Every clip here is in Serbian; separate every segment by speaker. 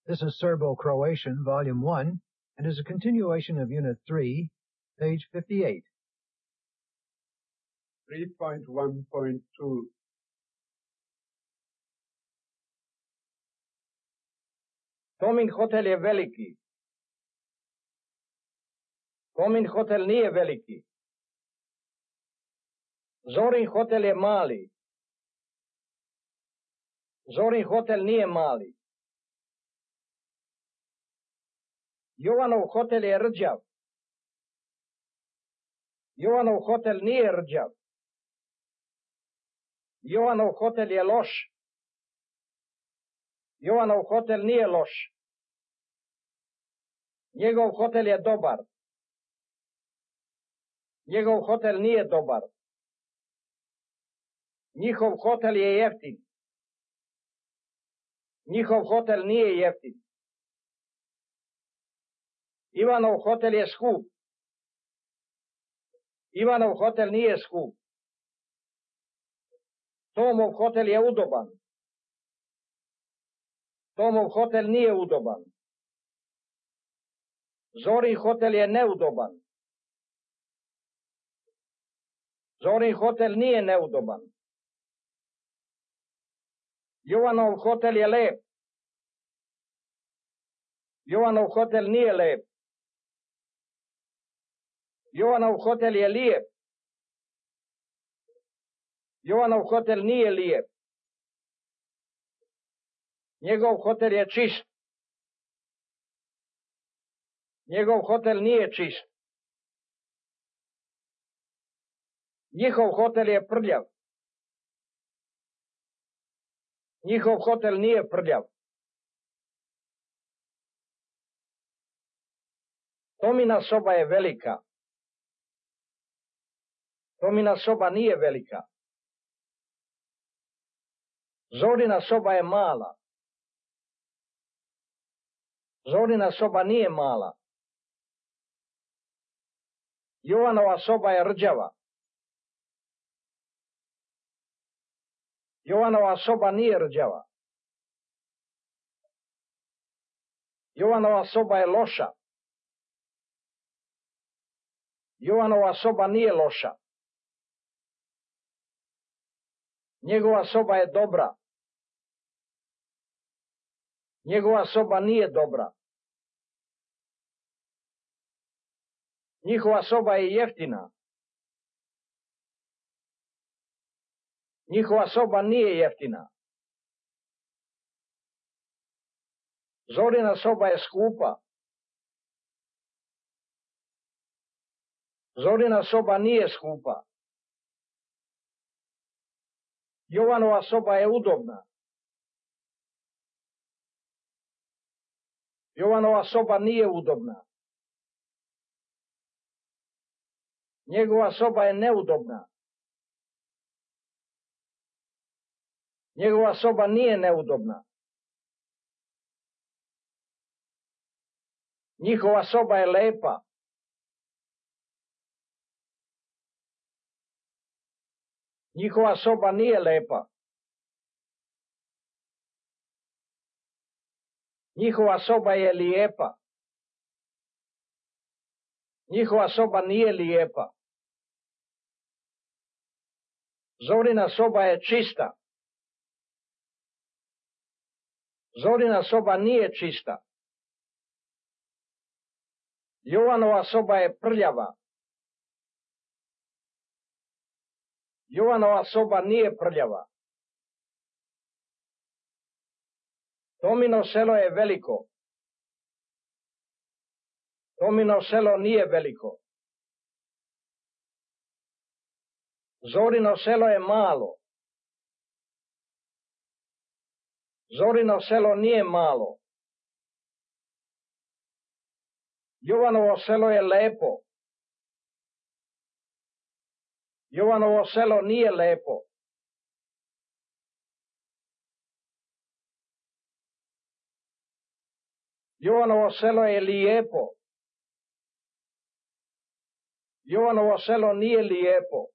Speaker 1: This is Serbo-Croatian, Volume 1, and is a continuation of Unit 3, page 58.
Speaker 2: 3.1.2.
Speaker 3: Tomin hotel je veliki. Tomin hotel nije veliki. Zorin hotel je mali. Zorin hotel nije mali. Jovanov hotel je rđav. Jovanov hotel nije rđav. Jovanov hotel je loš. Jovanov hotel nije loš. Njegov hotel je dobar. Njegov hotel nije dobar. Njihov hotel je jeftin. Njihov hotel nije jeftin. Ivanov hotel je skup. Ivanov hotel nije skup. Tomov hotel je udoban. Tomov hotel nije udoban. Zorin hotel je neudoban. Zorin hotel nije neudoban. Jovanov hotel je lep. Jovanov hotel nije lep. Jovanov hotel je lijep. Jovanov hotel nije lijep. Njegov hotel je čist. Njegov hotel nije čist. Njihov hotel je prljav. Njihov hotel nije prljav. Tomina soba je velika. Tomina soba nije velika. Zorina soba je mala. Zorina soba nije mala. Jovanova soba je rđava. Jovanova soba nije rđava. Jovanova soba je loša. Jovanova soba nije loša. Njegova soba je dobra. Njegova soba nije dobra. Njihova soba je jeftina. Njihova soba nije jeftina. Zorina soba je skupa. Zorina soba nije skupa. Jovanova soba je udobna. Jovanova soba nije udobna. Njegova soba je neudobna. Njegova soba nije neudobna. Njihova soba je lepa. Njihova soba nije lepa. Njihova soba je lijepa. Njihova soba nije lijepa. Zorina soba je čista. Zorina soba nije čista. Jovanova soba je prljava. Jovanova soba nije prljava. Tomino selo je veliko. Tomino selo nije veliko. Zorino selo je malo. Zorino selo nije malo. Jovanovo selo je lepo. Jovanovo selo nije lepo. Jovanovo selo je lijepo. Jovanovo selo nije lijepo.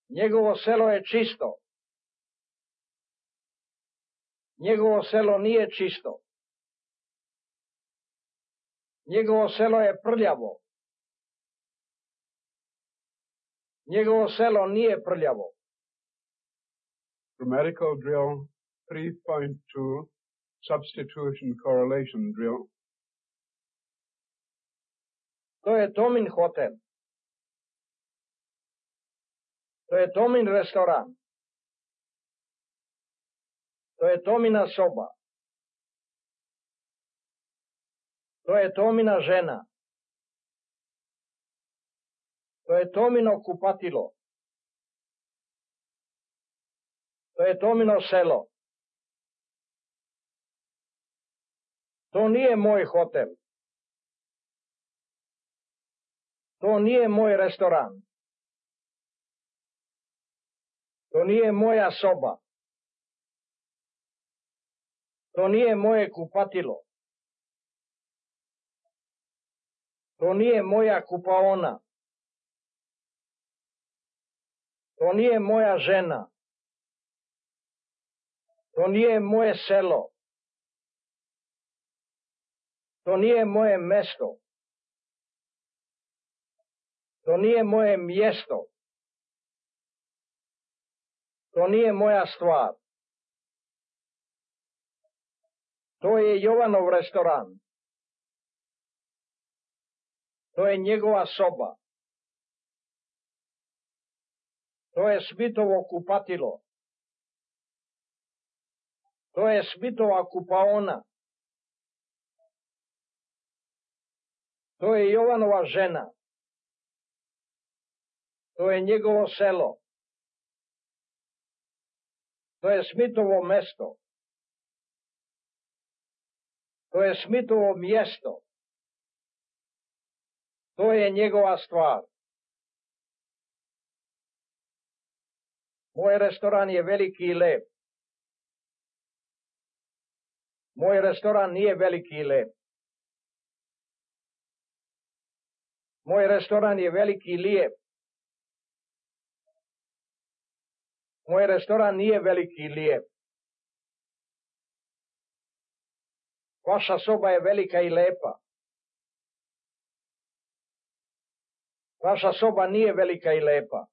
Speaker 3: Njegovo selo je čisto. Njegovo selo nije čisto. Njegovo selo je prljavo. Njegovo selo nije prljavo.
Speaker 2: Grammatical drill 3.2, substitution correlation drill.
Speaker 3: To je Tomin hotel. To je Tomin restoran. To je Tomina soba. To je Tomina žena. To je Tomino kupatilo. To je Tomino selo. To nije moj hotel. To nije moj restoran. To nije moja soba. To nije moje kupatilo. To nije moja kupaona. To nije moja žena. To nije moje selo. To nije moje mesto. To nije moje mjesto. To nije moja stvar. To je Jovanov restoran. To je njegova soba. To je Smitovo kupatilo. To je Smitova kupaona. To je Jovanova žena. To je njegovo selo. To je Smitovo mesto. To je Smitovo mjesto. To je njegova stvar. Moj restoran je veliki i lep. Moj restoran nije veliki i lep. Moj restoran je veliki i lijep. Moj restoran nije veliki i lijep. Vaša soba je velika i lepa. Vaša soba nije velika i lepa.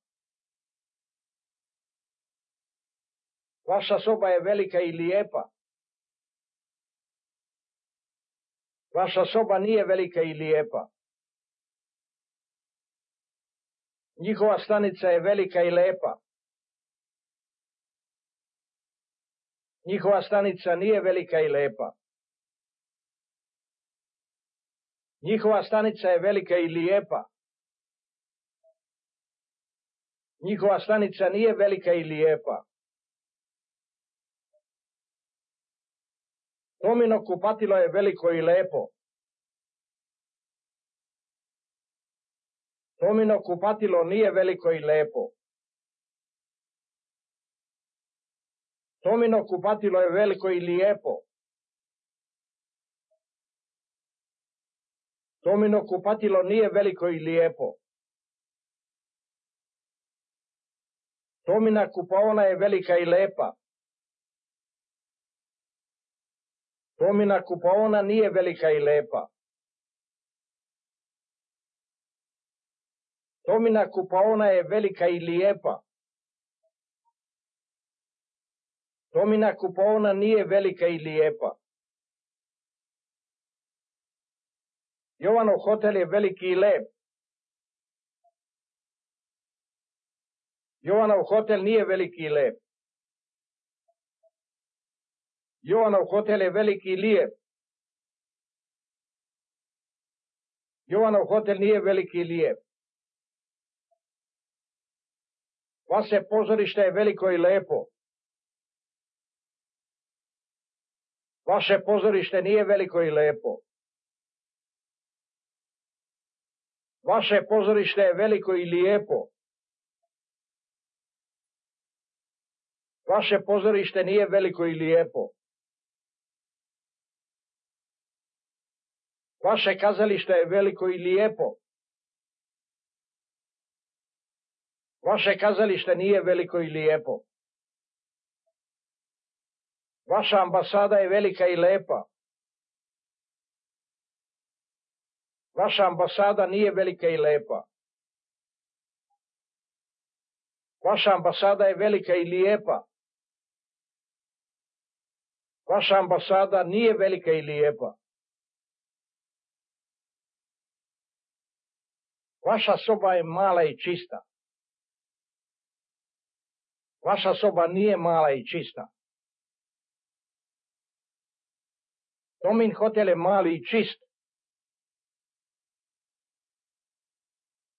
Speaker 3: Vaša soba je velika i lijepa. Vaša soba nije velika i lijepa. Njihova stanica je velika i lepa. Njihova stanica nije velika i lepa. Njihova stanica je velika i lijepa. Njihova stanica nije velika i lijepa. Tomino kupatilo je veliko i lepo. Tomino kupatilo nije veliko i lepo. Tomino kupatilo je veliko i lijepo. Tomino kupatilo nije veliko i lijepo. Tomina kupaona je velika i lepa. Tomina kupaona nije velika i lepa. Tomina kupaona je velika i lijepa. Tomina kupaona nije velika i lijepa. Jovanov hotel je veliki i lep. Jovanov hotel nije veliki i lep. Jovanov hotel je veliki i lijep. Jovanov hotel nije veliki i lijep. Vaše pozorište je veliko i lepo. Vaše pozorište nije veliko i lepo. Vaše pozorište je veliko i lijepo. Vaše pozorište nije veliko i lijepo. Vaše kazalište je veliko i lijepo. Vaše kazalište nije veliko i lijepo. Vaša ambasada je velika i lepa. Vaša ambasada nije velika i lepa. Vaša ambasada je velika i lijepa. Vaša ambasada nije velika i lijepa. Vaša soba je mala i čista. Vaša soba nije mala i čista. Tomin hotel je mali i čist.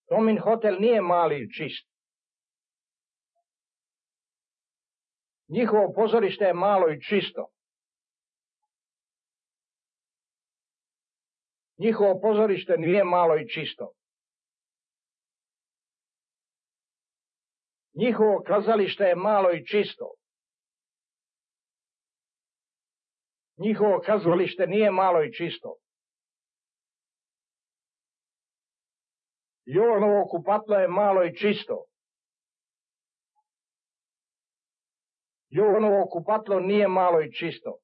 Speaker 3: Tomin hotel nije mali i čist. Njihovo pozorište je malo i čisto. Njihovo pozorište nije malo i čisto. Njihovo kazalište je malo i čisto. Njihovo kazalište nije malo i čisto. Jovanovo kupatlo je malo i čisto. Jovanovo kupatlo nije malo i čisto.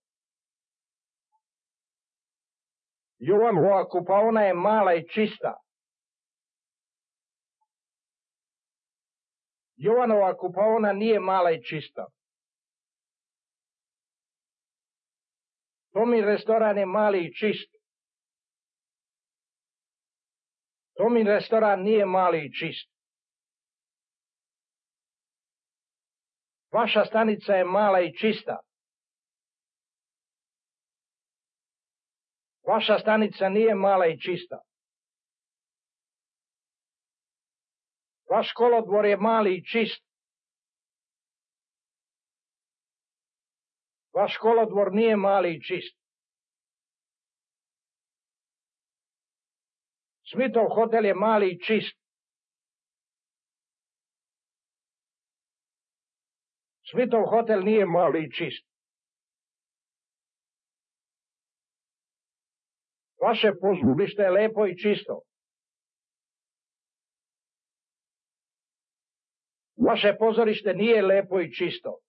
Speaker 3: Jovanova kupaona je mala i čista. Jovanova kupaona nije mala i čista. Tomin restoran je mali i čist. Tomin restoran nije mali i čist. Vaša stanica je mala i čista. Vaša stanica nije mala i čista. Vaš kolodvor je mali i čist. Vaš kolodvor nije mali i čist. Smithov hotel je mali i čist. Smithov hotel nije mali i čist. Vaše pozorište je lepo i čisto. Vaše pozorište nije lepo i čisto.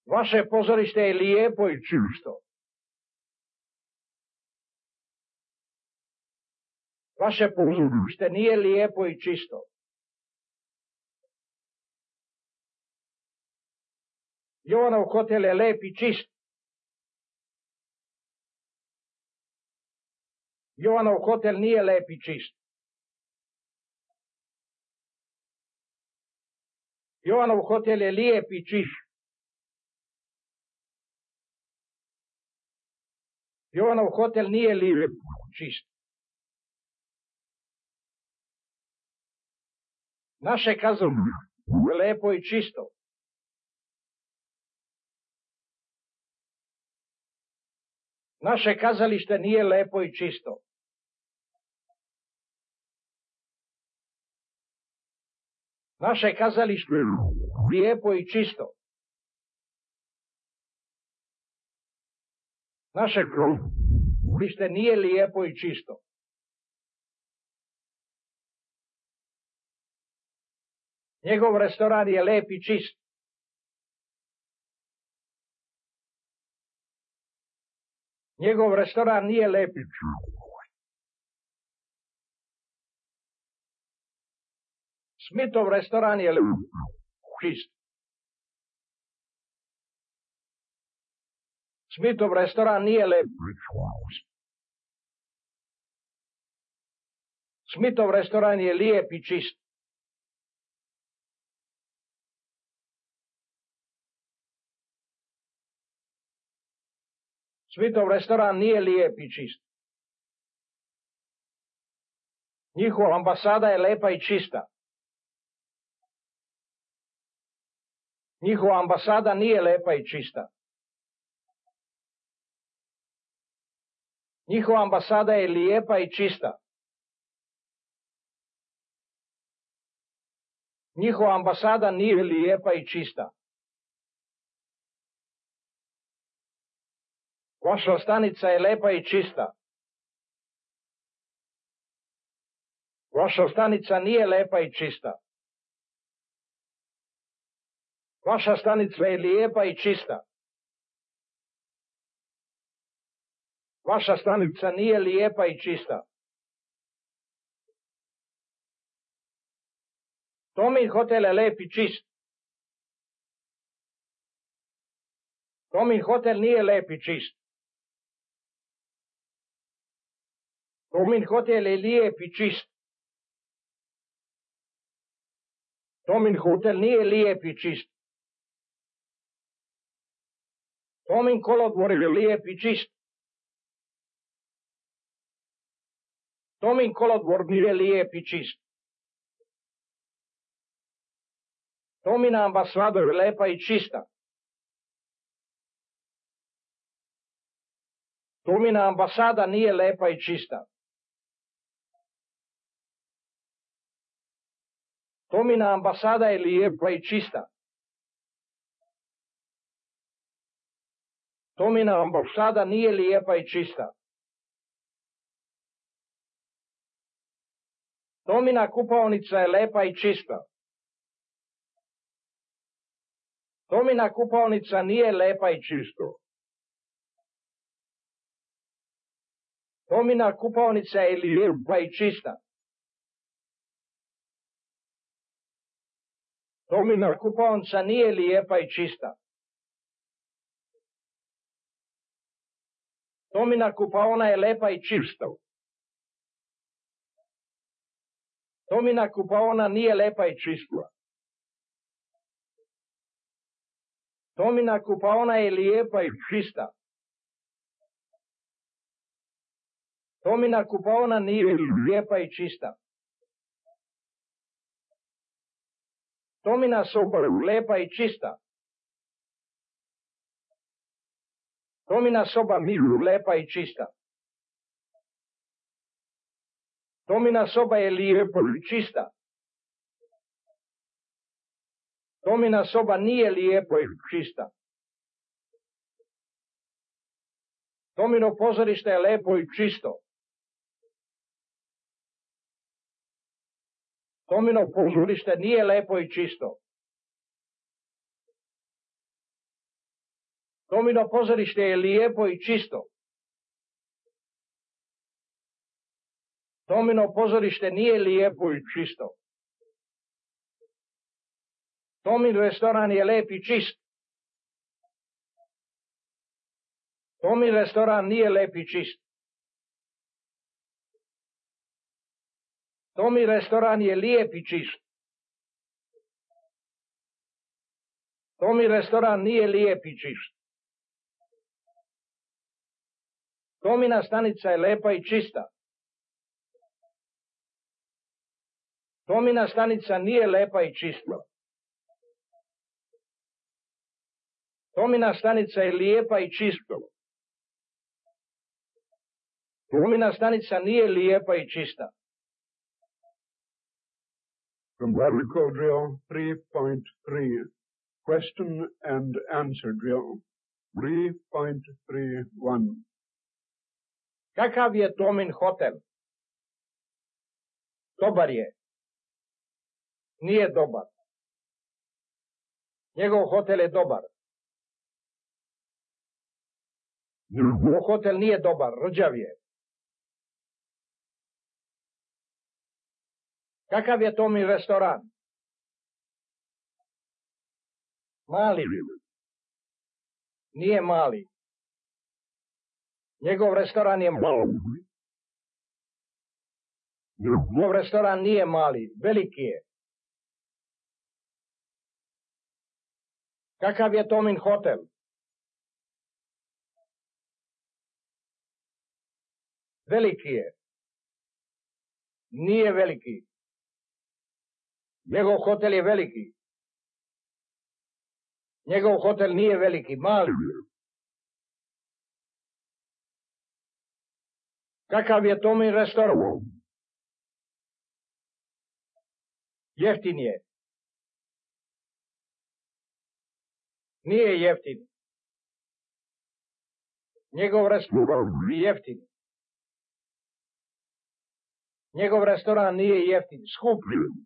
Speaker 3: Vaše pozorište je lijepo i čisto. Vaše pozorište nije lijepo i čisto. Jovanov hotel je lep i čist. Jovanov hotel nije lep i čist. Jovanov hotel je lijep i čist. Jovanov hotel nije lijep i čist. Naše kazalište je lepo i čisto. Naše kazalište nije lepo i čisto. Naše kazalište je lijepo i čisto. Naše kazalište nije lijepo i čisto. Njegov restoran je lep i čist. Njegov restoran nije lep i čist. Smithov restoran je lep i čist. Smithov restoran nije lep i čist. Smithov restoran je lijep i čist. Smithov restoran nije lijep i čist. Njihova ambasada je lepa i čista. Njihova ambasada nije lepa i čista. Njihova ambasada je lijepa i čista. Njihova ambasada nije lijepa i čista. Vaša stanica je lepa i čista. Vaša stanica nije lepa i čista. Vaša stanica je lijepa i čista. Vaša stanica nije lijepa i čista. Tomin hotel je lep i čist. Tomin hotel nije lep i čist. Tomin hotel je lijep i čist. Tomin hotel nije lijep i čist. Tomin kolodvor je lijep i čist. Tomin kolodvor nije lijep i čist. Tomina ambasada je lepa i čista. Tomina ambasada nije lepa i čista. Tomina ambasada je lijepa i čista. Tomina ambasada nije lijepa i čista. Tomina kupaonica je lepa i čista. Tomina kupaonica nije lepa i čisto. Tomina kupaonica je lijepa i čista. Tomina kupaonica nije lijepa i čista. Tomina kupaona je lepa i čista. Tomina kupaona nije lepa i čista. Tomina kupaona je lijepa i čista. Tomina kupaona nije lijepa i čista. Tomina soba je lepa i čista. Tomina soba je lepa i čista. Tomina soba je lijepa i čista. Tomina soba nije lijepa i čista. Tomino pozorište je lepo i čisto. Tomino pozorište nije lepo i čisto. Tomino pozorište je lijepo i čisto. Tomino pozorište nije lijepo i čisto. Tomin restoran je lep i čist. Tomin restoran nije lep i čist. Tomin restoran je lijep i čist. Tomin restoran nije lijep i čist. Tomina stanica je lepa i čista. Tomina stanica nije lepa i čista. Tomina stanica je lijepa i čista. Tomina stanica nije lijepa i čista.
Speaker 2: Grammatical drill 3.3. Question and answer drill 3.31.
Speaker 3: Kakav je Tomin hotel? Dobar je. Nije dobar. Njegov hotel je dobar. Njegov hotel nije dobar, rđav je. Kakav je Tomin restoran? Mali. Nije mali. Njegov restoran je mali. Njegov restoran nije mali, veliki je. Kakav je Tomin hotel? Veliki je. Nije veliki. Njegov hotel je veliki. Njegov hotel nije veliki, mali. Kakav je Tomin restoran? Jeftin je. Nije jeftin. Njegov restoran je jeftin. Njegov restoran nije jeftin, skup je.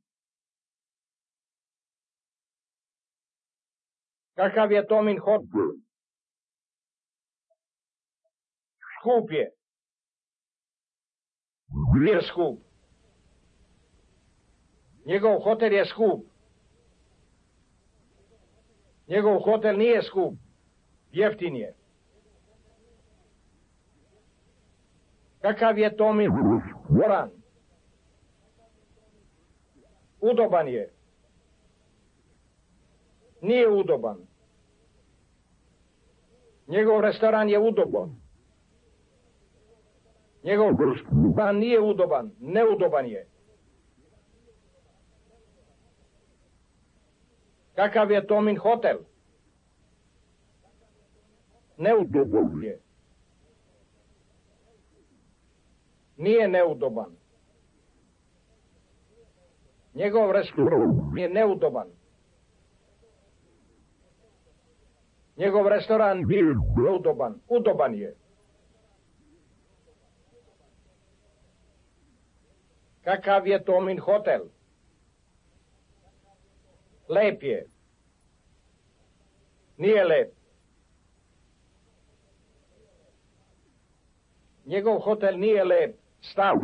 Speaker 3: Kakav je Tomin hotel? Skup je. Nije skup. Njegov hotel je skup. Njegov hotel nije skup. Jeftin je. Kakav je Tomin restoran? Udoban je. Nije udoban. Njegov restoran je udoban. Njegov restoran nije udoban. Neudoban je. Kakav je Tomin hotel? Neudoban je. Nije neudoban. Njegov restoran je neudoban. Njegov restoran je neudoban. Udoban je. Kakav je Tomin hotel? Lep je. Nije lep. Njegov hotel nije lep. Star.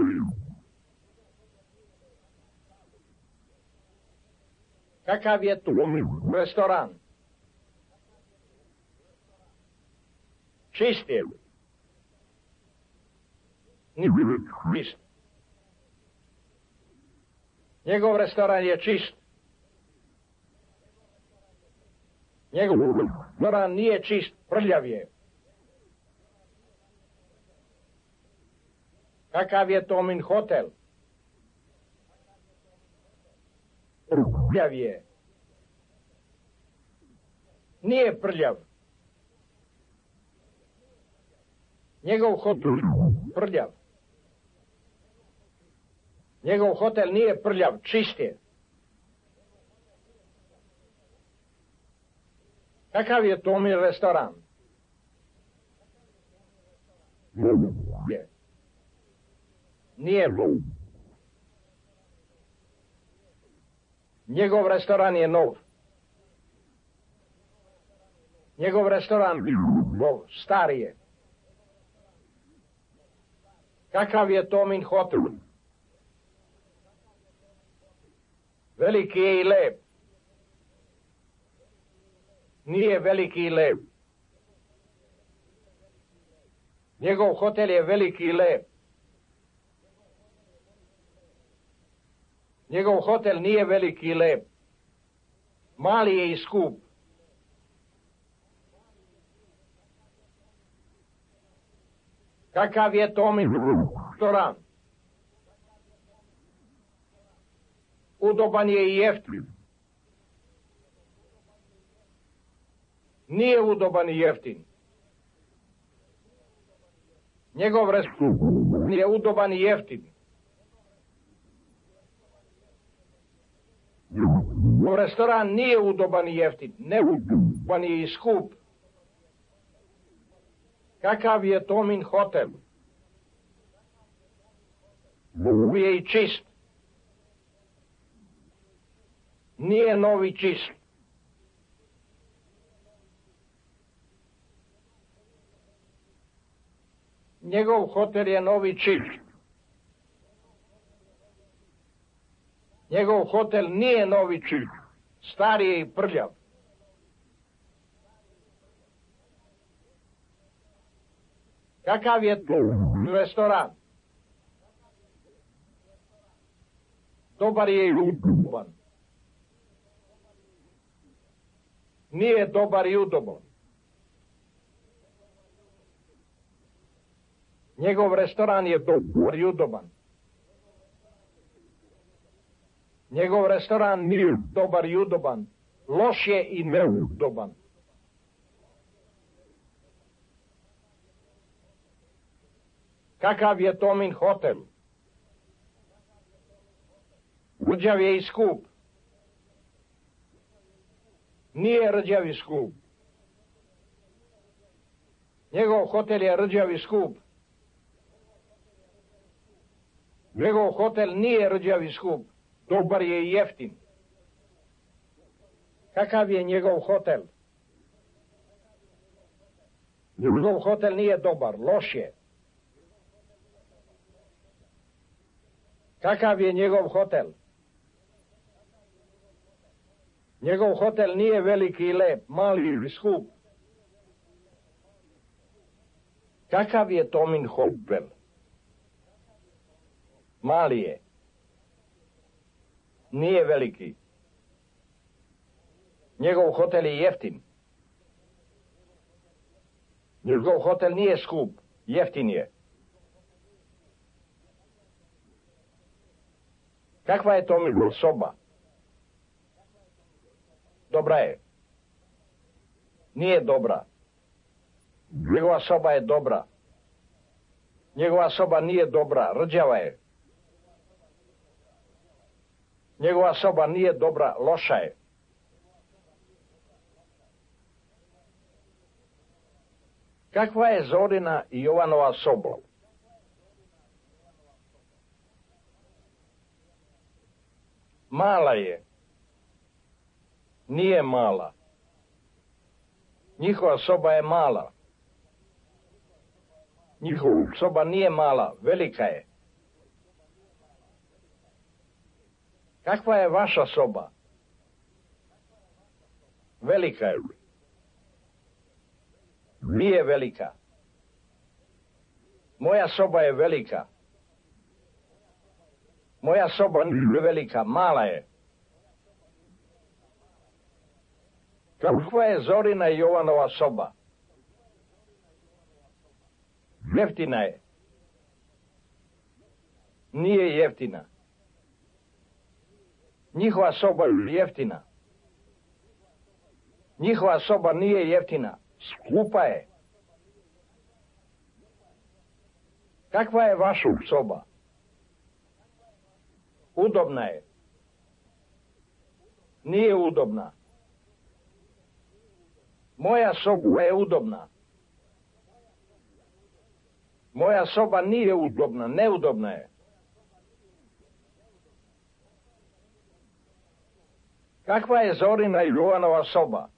Speaker 3: Kakav je Tomin restoran? Čist je. Nije čist. Njegov restoran je čist. Njegov restoran nije čist, prljav je. Kakav je Tomin hotel? Prljav je. Nije prljav. Njegov hotel prljav. Njegov hotel nije prljav, čist je. Kakav je Tomin restoran? Je. Nije. Njegov restoran je nov. Njegov restoran nov, star je. Kakav je Tomin hotel? Veliki je i lep. Nije veliki i lep. Njegov hotel je veliki i lep. Njegov hotel nije veliki i lep. Mali je i skup. Kakav je Tomin restoran? Udoban je i jeftin. Nije udoban i jeftin. Njegov restoran je udoban i jeftin. Restoran nije udoban i jeftin. Neudoban je i skup. Kakav je Tomin hotel? Nov je i čist. Nije novi čist. Njegov hotel je novi čist. Njegov hotel nije novi čist. Star je i prljav. Kakav je to restoran? Dobar je i udoban. Nije dobar i udoban. Njegov restoran je dobar i udoban. Njegov restoran nije dobar i udoban. Loš je i neudoban. Kakav je Tomin hotel? Rđav je i skup. Nije rđav i skup. Njegov hotel je rđav i skup. Njegov hotel nije rđav i skup. Dobar je i jeftin. Kakav je njegov hotel? Njegov hotel nije dobar, loš je. Kakav je njegov hotel? Njegov hotel nije veliki i lep, mali ili skup. Kakav je Tomin hotel? Mali je. Nije veliki. Njegov hotel je jeftin. Njegov hotel nije skup, jeftin je. Kakva je Tomin soba? Dobra je. Nije dobra. Njegova soba je dobra. Njegova soba nije dobra, rđava je. Njegova soba nije dobra, loša je. Kakva je Zorina i Jovanova soba? Mala je. Nije mala. Njihova soba je mala. Njihova soba nije mala, velika je. Kakva je vaša soba? Velika je. Nije velika. Moja soba je velika. Moja soba nije velika, mala je. Kakva je Zorina i Jovanova soba? Jeftina je. Nije jeftina. Njihova soba je jeftina. Njihova soba nije jeftina. Skupa je. Kakva je vaša soba? Udobna je. Nije udobna. Moja soba je udobna. Moja soba nije udobna, neudobna je. Kakva je Zorina i Jovanova soba?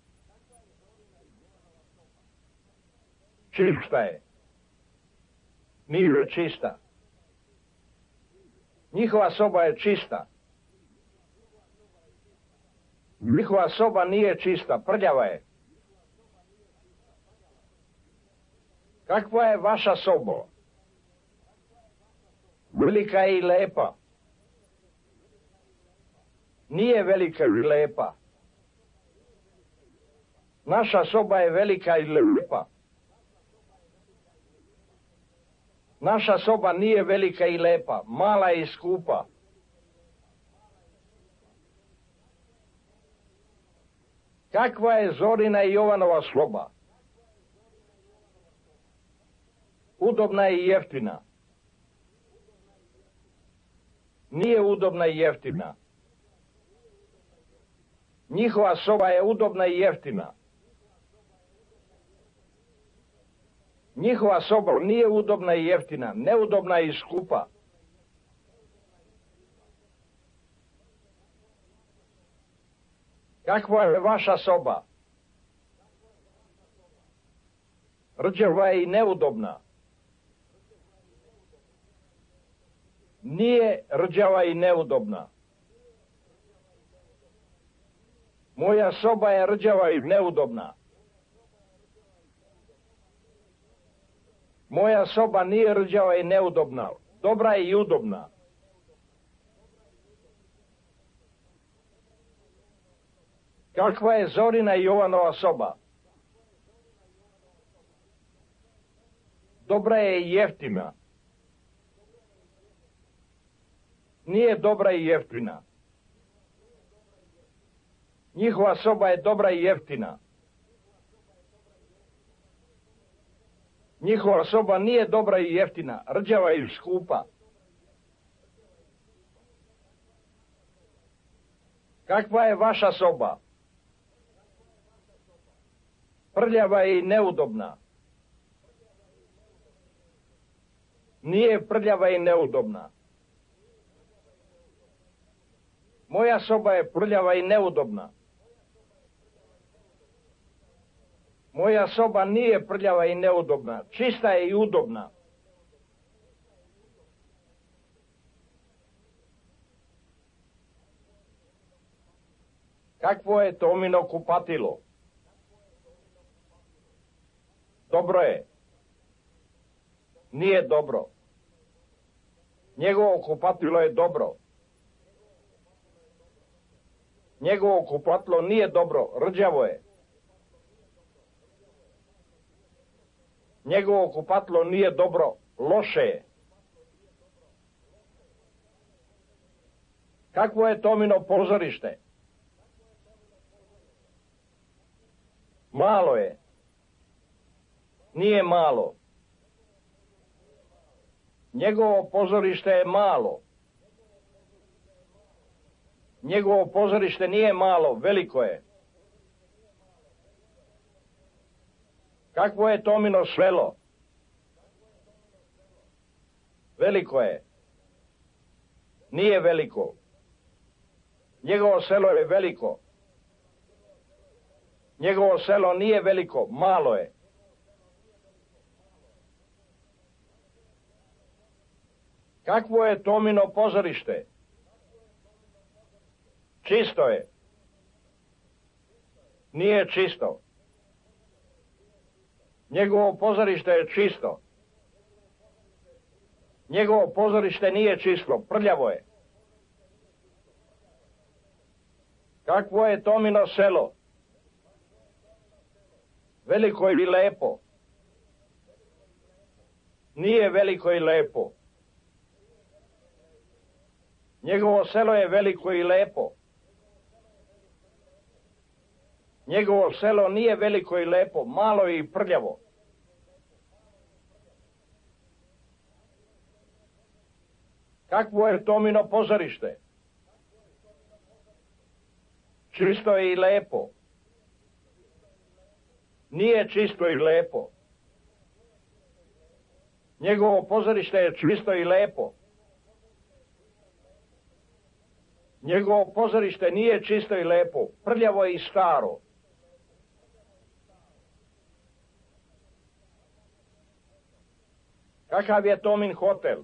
Speaker 3: Čista je. Nije čista. Njihova soba je čista. Njihova soba nije čista, prljava je. Kakva je vaša soba? Velika je i lepa. Nije velika i lepa. Naša soba je velika i lepa. Naša soba nije velika i lepa, mala i skupa. Kakva je Zorina i Jovanova soba? Udobna i jeftina. Nije udobna i jeftina. Njihova soba je udobna i jeftina. Njihova soba nije udobna i jeftina, neudobna i skupa. Kakva je vaša soba? Rđava je i neudobna. Nije rđava i neudobna. Moja soba je rđava i neudobna. Moja soba nije rđava i neudobna, dobra je i udobna. Kakva je Zorina i Jovanova soba? Dobra je i jeftina. Nije dobra i jeftina. Njihova soba je dobra i jeftina. Njihova soba nije dobra i jeftina, rđava i skupa. Kakva je vaša soba? Prljava je i neudobna. Nije prljava i neudobna. Moja soba je prljava i neudobna. Moja soba nije prljava i neudobna, čista je i udobna. Kakvo je Tomino kupatilo? Dobro je. Nije dobro. Njegovo kupatilo je dobro. Njegovo kupatilo nije dobro, rđavo je. Njegovo kupatilo nije dobro, loše je. Kakvo je Tomino pozorište? Malo je. Nije malo. Njegovo pozorište je malo. Njegovo pozorište nije malo, veliko je. Kakvo je Tomino selo? Veliko je. Nije veliko. Njegovo selo je veliko. Njegovo selo nije veliko, malo je. Kakvo je Tomino pozorište? Čisto je. Nije čisto. Njegovo pozorište je čisto. Njegovo pozorište nije čisto, prljavo je. Kakvo je Tomino selo? Veliko i lepo. Nije veliko i lepo. Njegovo selo je veliko i lepo. Njegovo selo nije veliko i lepo, malo i prljavo. Kakvo je Tomino pozorište? Čisto je i lepo. Nije čisto i lepo. Njegovo pozorište je čisto i lepo. Njegovo pozorište nije čisto i lepo, prljavo je i staro. Kakav je Tomin hotel?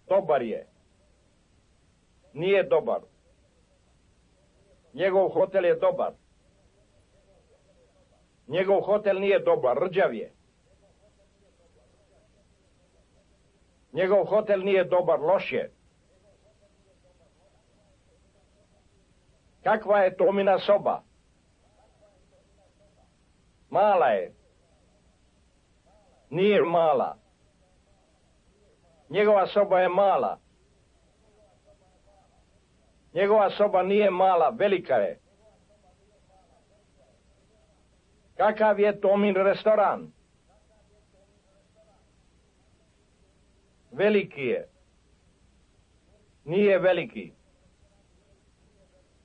Speaker 3: Dobar je. Nije dobar. Njegov hotel je dobar. Njegov hotel nije dobar, rđav je. Njegov hotel nije dobar, loš je. Kakva je Tomina soba? Mala je. Nije mala. Njegova soba je mala. Njegova soba nije mala, velika je. Kakav je Tomin restoran? Veliki je. Nije veliki.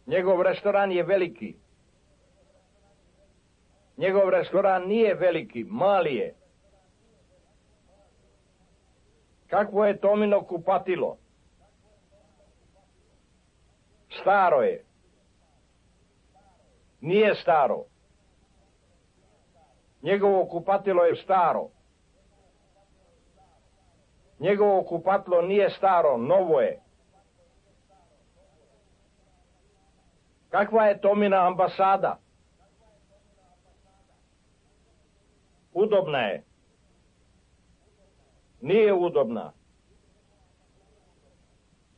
Speaker 3: Njegov restoran je veliki. Njegov restoran nije veliki, mali je. Kakvo je Tomino kupatilo? Staro je. Nije staro. Njegovo kupatilo je staro. Njegovo kupatilo nije staro, novo je. Kakva je Tomina ambasada? Udobna je. Nije udobna.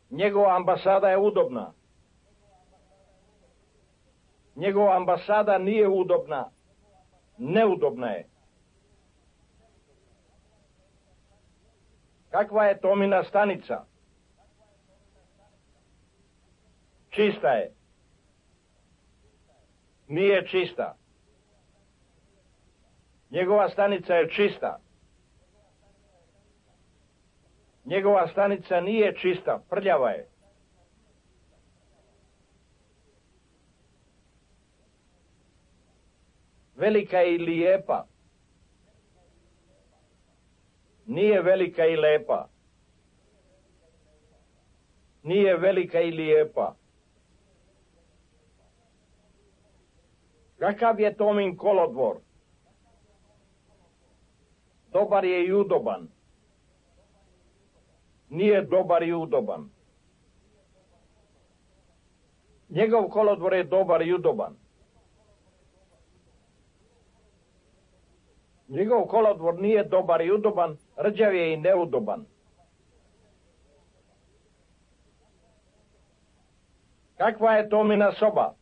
Speaker 3: Njegova ambasada je udobna. Njegova ambasada nije udobna. Neudobna je. Kakva je Tomina stanica? Čista je. Nije čista. Njegova stanica je čista. Njegova stanica nije čista, prljava je. Velika je i lijepa. Nije velika i lepa. Nije velika i lijepa. Kakav je Tomin kolodvor? Dobar je i udoban. Nije dobar i udoban. Njegov kolodvor je dobar i udoban. Njegov kolodvor nije dobar i udoban, rđav je i neudoban. Kakva je Tomina soba?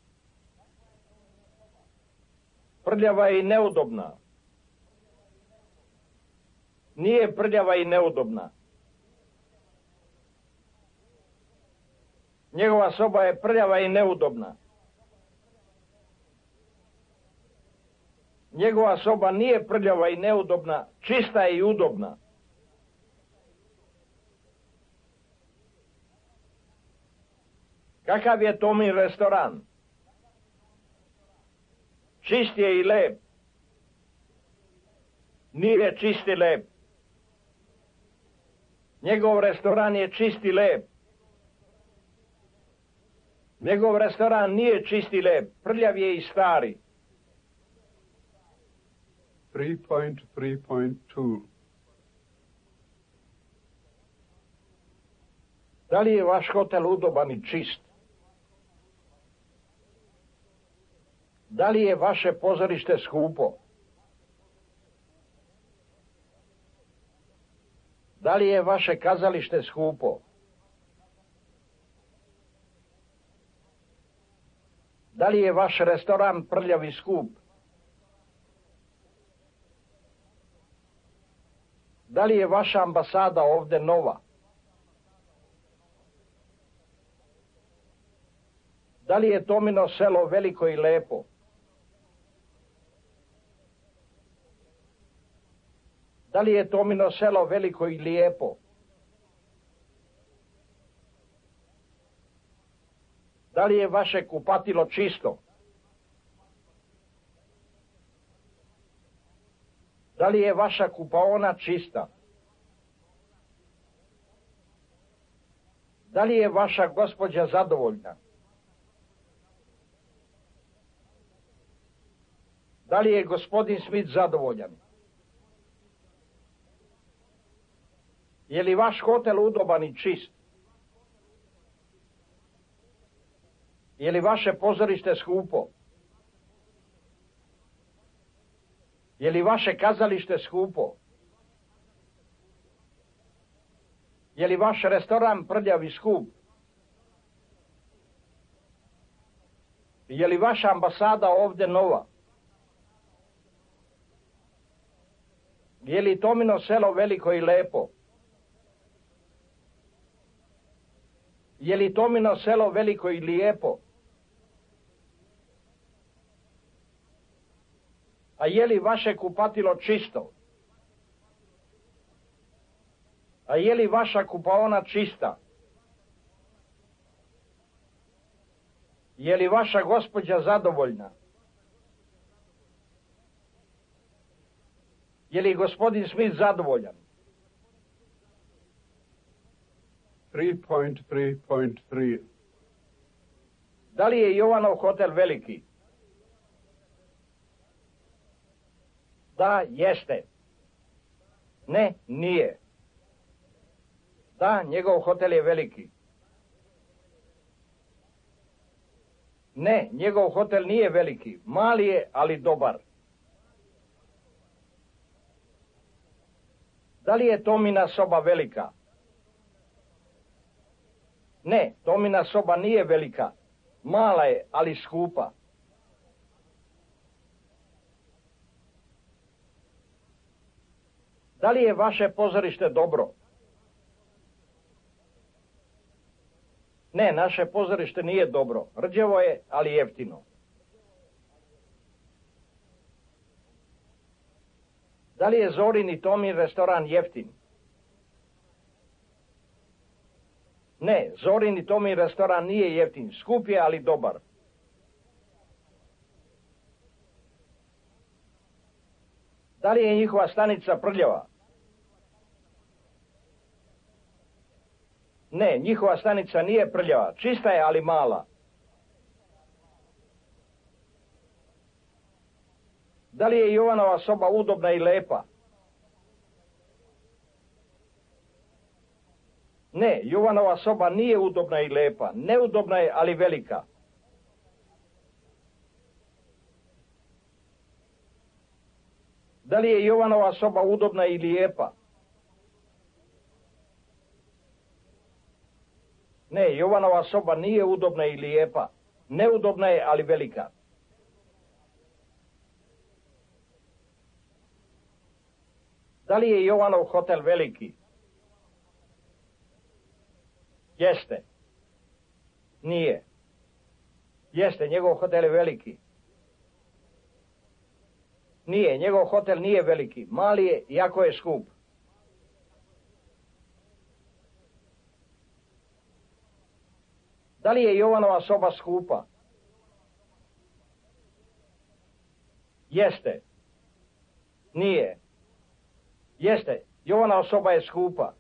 Speaker 3: Prljava i neudobna. Nije prljava i neudobna. Njegova soba je prljava i neudobna. Njegova soba nije prljava i neudobna, čista je i udobna. Kakav je Tomin restoran? Čist je i lep. Nije čist i lep. Njegov restoran je čist i lep. Njegov restoran nije čist i lep, prljav je i stari.
Speaker 2: 3.3.2.
Speaker 3: Da li je vaš hotel udoban i čist? Da li je vaše pozorište skupo? Da li je vaše kazalište skupo? Da li je vaš restoran prljav i skup? Da li je vaša ambasada ovde nova? Da li je Tomino selo veliko i lepo? Da li je Tomino selo veliko i lijepo? Da li je vaše kupatilo čisto? Da li je vaša kupaona čista? Da li je vaša gospođa zadovoljna? Da li je gospodin Smith zadovoljan? Je li vaš hotel udoban i čist? Je li vaše pozorište skupo? Je li vaše kazalište skupo? Je li vaš restoran prljav i skup? Je li vaša ambasada ovde nova? Je li Tomino selo veliko i lepo? Je li Tomino selo veliko i lijepo? A je li vaše kupatilo čisto? A je li vaša kupaona čista? Je li vaša gospođa zadovoljna? Je li gospodin Smith zadovoljan?
Speaker 2: 3.3.3.
Speaker 3: Da li je Jovanov hotel veliki? Da, jeste. Ne, nije. Da, njegov hotel je veliki. Ne, njegov hotel nije veliki. Mali je, ali dobar. Da li je Tomina soba velika? Ne, Tomina soba nije velika. Mala je, ali skupa. Da li je vaše pozorište dobro? Ne, naše pozorište nije dobro. Rđevo je, ali jeftino. Da li je Zorin i Tomin restoran jeftin? Ne, Zorin i Tomin restoran nije jeftin. Skup je, ali dobar. Da li je njihova stanica prljava? Ne, njihova stanica nije prljava. Čista je, ali mala. Da li je Jovanova soba udobna i lepa? Ne, Jovanova soba nije udobna i lepa. Neudobna je, ali velika. Da li je Jovanova soba udobna i lijepa? Ne, Jovanova soba nije udobna i lijepa. Neudobna je, ali velika. Da li je Jovanov hotel veliki? Jeste. Nije. Jeste, njegov hotel je veliki. Nije, njegov hotel nije veliki. Mali je, jako je skup. Da li je Jovanova soba skupa? Jeste. Nije. Jeste, Jovanova soba je skupa.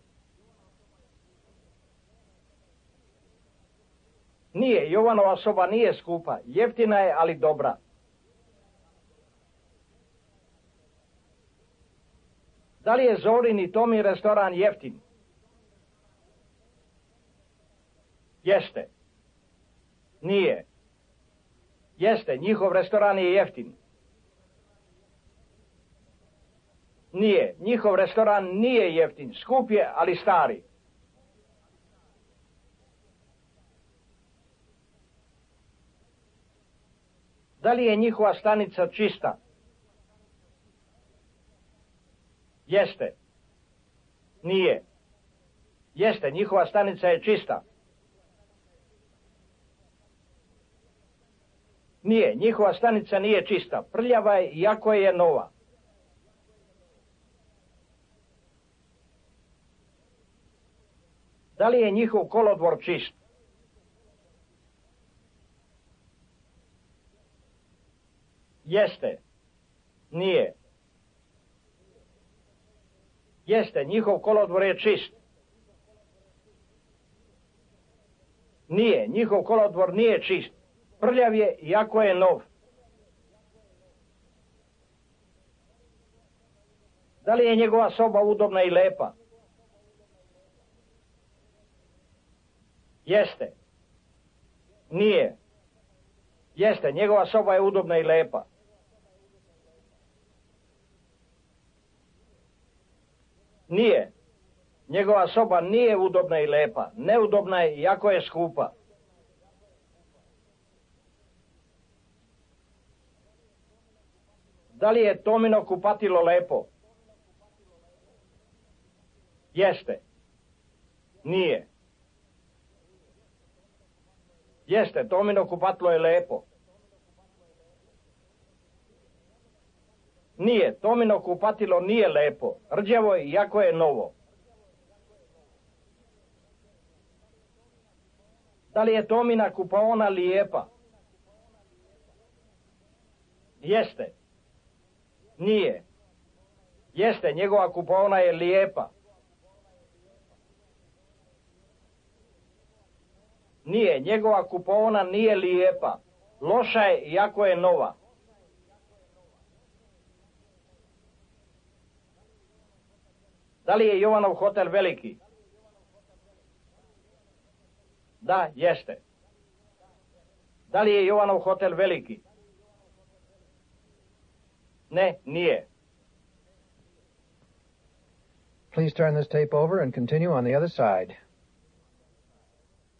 Speaker 3: Nije, Jovanova soba nije skupa. Jeftina je, ali dobra. Da li je Zorin i Tomin restoran jeftin? Jeste. Nije. Jeste, njihov restoran je jeftin. Nije, njihov restoran nije jeftin. Skup je, ali stari. Da li je njihova stanica čista? Jeste. Nije. Jeste, njihova stanica je čista. Nije, njihova stanica nije čista. Prljava je, iako je nova. Da li je njihov kolodvor čist? Jeste. Nije. Jeste, njihov kolodvor je čist. Nije, njihov kolodvor nije čist. Prljav je, iako je nov. Da li je njegova soba udobna i lepa? Jeste. Nije. Jeste, njegova soba je udobna i lepa. Nije. Njegova soba nije udobna i lepa. Neudobna je, iako je skupa. Da li je Tomino kupatilo lepo? Jeste. Nije. Jeste, Tomino kupatilo je lepo. Nije, Tomino kupatilo nije lepo. Rđavo je, iako je novo. Da li je Tomina kupaona lijepa? Jeste. Nije. Jeste, njegova kupaona je lijepa. Nije, njegova kupaona nije lijepa. Loša je, iako je nova. Da li je Jovanov hotel veliki? Da, jeste. Da li je Jovanov hotel veliki? Ne, nije.
Speaker 1: Please turn this tape over and continue on the other side.